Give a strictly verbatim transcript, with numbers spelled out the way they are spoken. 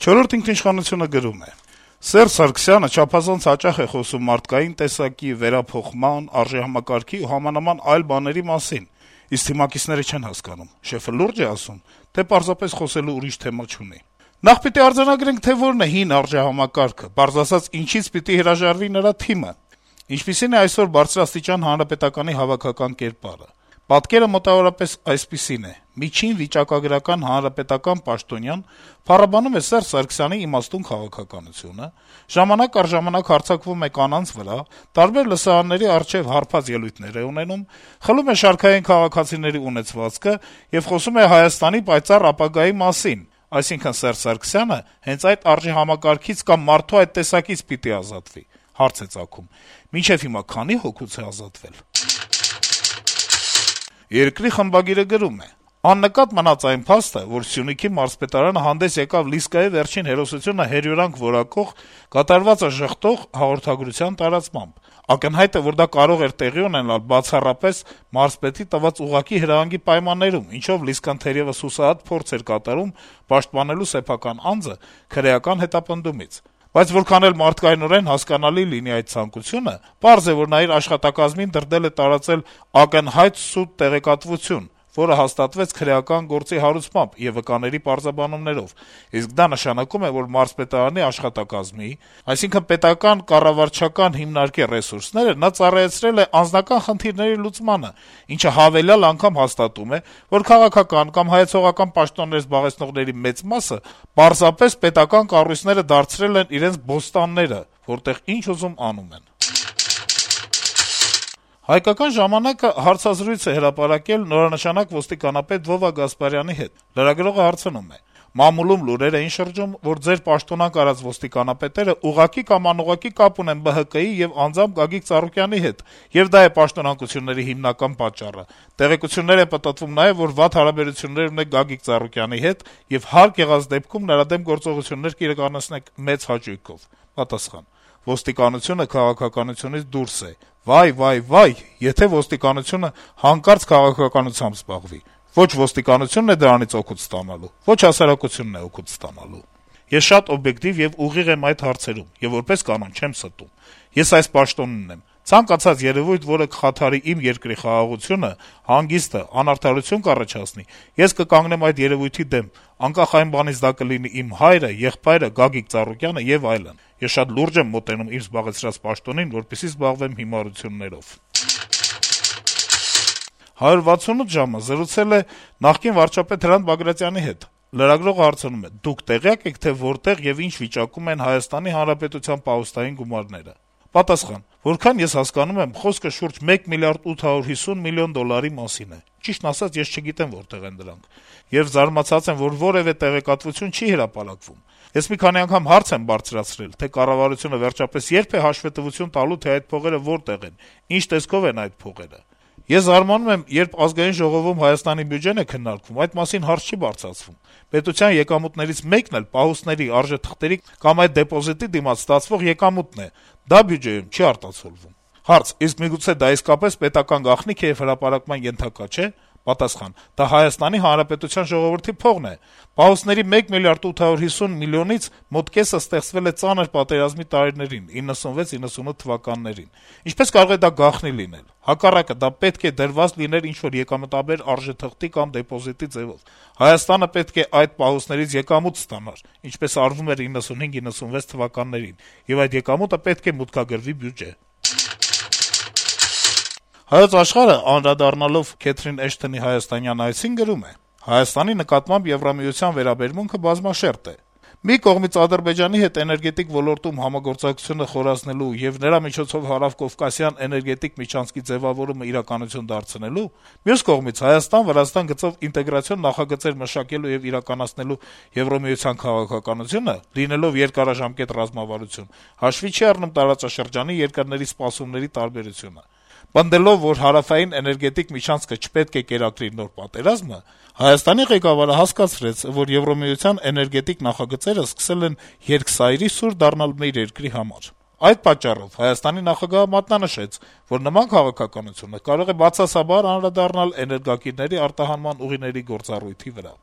«Չորրորդ ինքնիշխանություն»-ը գրում է. - «Սերժ Սարգսյանը չափազանց հաճախ է խոսում մարդկային տեսակի, վերափոխման, արժեհամակարգի ու համանման այլ բաների մասին, իսկ թիմակիցները չեն հասկանում. շեֆը լուրջ է ասում, թե պարզապես խոսելու ուրիշ թեմա չունի: Նախ պիտի արձանագրենք, թե որն է հին արժեհամակարգը, պարզ ասած, ինչից պիտի հրաժարվի նրա թիմը: Ինչպիսին է այսօր բարձրաստիճան Հանրապետականի հավաքական կերպարը: Պատկերը մոտավորապես այսպիսին է. միջին վիճակագրական հանրապետական պաշտոնյան փառաբանում է Սերժ Սարգսյանի իմաստուն քաղաքականությունը, ժամանակ առ ժամանակ հարձակվում է կանանց վրա, տարբեր լսարանների առջեւ հարբած ելույթներ է ունենում, խլում է շարքային քաղաքացիների ունեցվածքը եւ խոսում է Հայաստանի պայծառ ապագայի մասին: Այսինքն Սերժ Սարգսյանը հենց այդ արժեհամակարգից կամ մարդու այդ տեսակից պիտի ազատվի: Հարց է ծագում. մինչեւ հիմա քանի՞ հոգուց է ազատվել»: «Երկիր» թերթի խմբագիրը գրում է. - «Աննկատ մնաց այն փաստը, որ Սյունիքի մարզպետարանը հանդես եկավ Լիսկայի վերջին հերոսությունը հերյուրանք որակող, կատարվածը ժխտող հաղորդագրության տարածմամբ: Ակնհայտ է, որ դա կարող էր տեղի ունենալ բացառապես մարզպետի տված ուղղակի հրահանգի պայմաններում, ինչով Լիսկան թերեւս հուսահատ փորձ էր կատարում պաշտպանելու սեփական անձը քրեական հետապնդումից: Բայց որքան էլ մարդկայնորեն հասկանալի լինի այդ ցանկությունը, պարզ է, որ նա իր աշխատակազմին դրդել է տարածել ակնհայտ սուտ տեղեկատվություն, որը հաստատվեց քրեական գործի հարուցմամբ եւ վկաների պարզաբանումներով, իսկ դա նշանակում է, որ մարզպետարանի աշխատակազմի, այսինքն պետական կառավարչական հիմնարկի ռեսուրսները նա ծառայեցրել է անձնական խնդիրների լուծմանը, ինչը հավելյալ անգամ հաստատում է, որ քաղաքական կամ հայեցողական պաշտոններ զբաղեցնողների մեծ մասը պարզապես պետական կառույցները դարձրել են իրենց բոստանները, որտեղ ինչ ուզում անում են»: «Հայկական ժամանակ»-ը հարցազրույց է հրապարակել նորանշանակ ոստիկանապետ Վովա Գասպարյանի հետ: Լրագրողը հարցնում է. - «Մամուլում լուրեր էին շրջում, որ ձեր պաշտոնանկ արած ոստիկանապետերը ուղղակի կամ անուղղակի կապ ունեն Բը Հը Կը-ի եւ անձամբ Գագիկ Ծառուկյանի հետ, եւ դա է պաշտոնանկությունների հիմնական պատճառը: Տեղեկություններ է պտտվում նաեւ, որ վատ հարաբերություններ ունեք Գագիկ Ծառուկյանի հետ եւ հարկ եղած դեպքում նրա դեմ գործողություններ կիրականացնեք մեծ հաճույքով»: Պատասխան. - «Ոստիկանությունը քաղաքականությունից դուրս է: Վայ, վայ, վայ, եթե ոստիկանությունը հանկարծ քաղաքականությամբ զբաղվի: Ոչ ոստիկանությունն է դրանից օգուտ ստանալու, ոչ հասարակությունն է օգուտ ստանալու: Ես շատ օբյեկտիվ եւ ուղիղ եմ այդ հարցերում եւ որպես կանոն չեմ ստում: Ես այս պաշտոնն ունեմ: Ցանկացած երեւույթ, որը կխաթարի իմ երկրի խաղաղությունը, հանգիստը, անարդարություն կառաջացնի, ես կկանգնեմ այդ երեւույթի դեմ, անկախ այն բանից դա կլինի իմ հայրը, եղբայրը, Գագիկ Ծառուկյանը եւ այլն: Ես շատ լուրջ եմ մոտենում իմ զբաղեցրած պաշտոնին, որպեսզի զբաղվեմ հիմարություններով»: «հարյուր վաթսունութ ժամ»-ը զրուցել է նախկին վարչապետ Հրանտ Բագրատյանի հետ: Լրագրողը հարցնում է. - «Դուք տեղյա՞կ եք, թե որտեղ եւ ինչ վիճակում են Հայաստանի Հանրապետության պահոստային գումարները»: Պատասխան. - «Որքան ես հասկանում եմ, խոսքը շուրջ մեկ միլիարդ ութ հարյուր հիսուն միլիոն դոլարի մասին է: Ճիշտն ասած, ես չգիտեմ որտեղ են դրանք: Եվ զարմացած եմ, որ որեւէ տեղեկատվություն չի հրապարակվում: Ես մի քանի անգամ հարց եմ բարձրացրել, թե կառավարությունը վերջապես ե՞րբ է հաշվետվություն տալու, թե այդ փողերը որտեղ են, ինչ տեսքով են այդ փողերը: Ես զարմանում եմ, երբ Ազգային ժողովում Հայաստանի բյուջեն է քննարկվում, այդ մասին հարց չի բարձրացվում: Պետության եկամուտներից մեկն էլ պահոստների, արժեթղթերի կամ այդ դեպոզիտի դիմաց ստացվող եկամուտն է: Դա բյուջեում չի արտացոլվում»: Հարց. - «Իսկ միգուցե դա իսկապես պետական գաղտնիք է եւ հրապարակման ենթակա չէ»: Պատասխան. - «Դա Հայաստանի Հանրապետության ժողովրդի փողն է: Պահոստների մեկ միլիարդ ութ հարյուր հիսուն միլիոնից մոտ կեսը ստեղծվել է ծանր պատերազմի տարիներին` իննսունվեց իննսունութ թվականներին: Ինչպե՞ս կարող է դա գաղտնի լինել: Հակառակը, դա պետք է դրված լիներ ինչ-որ եկամտաբեր արժեթղթի կամ դեպոզիտի ձեւով: Հայաստանը պետք է այդ պահոստներից եկամուտ ստանար, ինչպես արվում էր իննսունհինգ իննսունվեց թվականներին, եւ այդ եկամուտը պետք է մուտքագրվի բյուջե»: «Հայոց Աշխարհ»-ը, անդրադառնալով Քեթրին Էշթոնի հայաստանյան այցին, գրում է. - «Հայաստանի նկատմամբ Եվրամիության վերաբերմունքը բազմաշերտ է: Մի կողմից Ադրբեջանի հետ էներգետիկ ոլորտում համագործակցությունը խորացնելու եւ նրա միջոցով հարավկովկասյան էներգետիկ միջանցքի ձեւավորումը իրականություն դարձնելու, մյուս կողմից Հայաստան-Վրաստան գծով ինտեգրացիոն նախագծեր մշակելու եւ իրականացնելու Եվրամիության քաղաքականությունը, լինելով երկարաժամկետ ռազմավարություն, հաշվի չի առնում տարածաշրջանի երկրների սպասումների տարբերությունը: Պնդելով, որ հարավային էներգետիկ միջանցքը չպետք է կերակրի նոր պատերազմը, Հայաստանի ղեկավարը հասկացրեց, որ Եվրամիության էներգետիկ նախագծերը սկսել են երկսայրի սուր դառնալ մեր երկրի համար: Այդ պատճառով Հայաստանի նախագահը մատնանշեց, որ նման քաղաքականությունը կարող է բացասաբար անդրադառնալ էներգակիրների արտահանման ուղիների գործառույթի վրա»: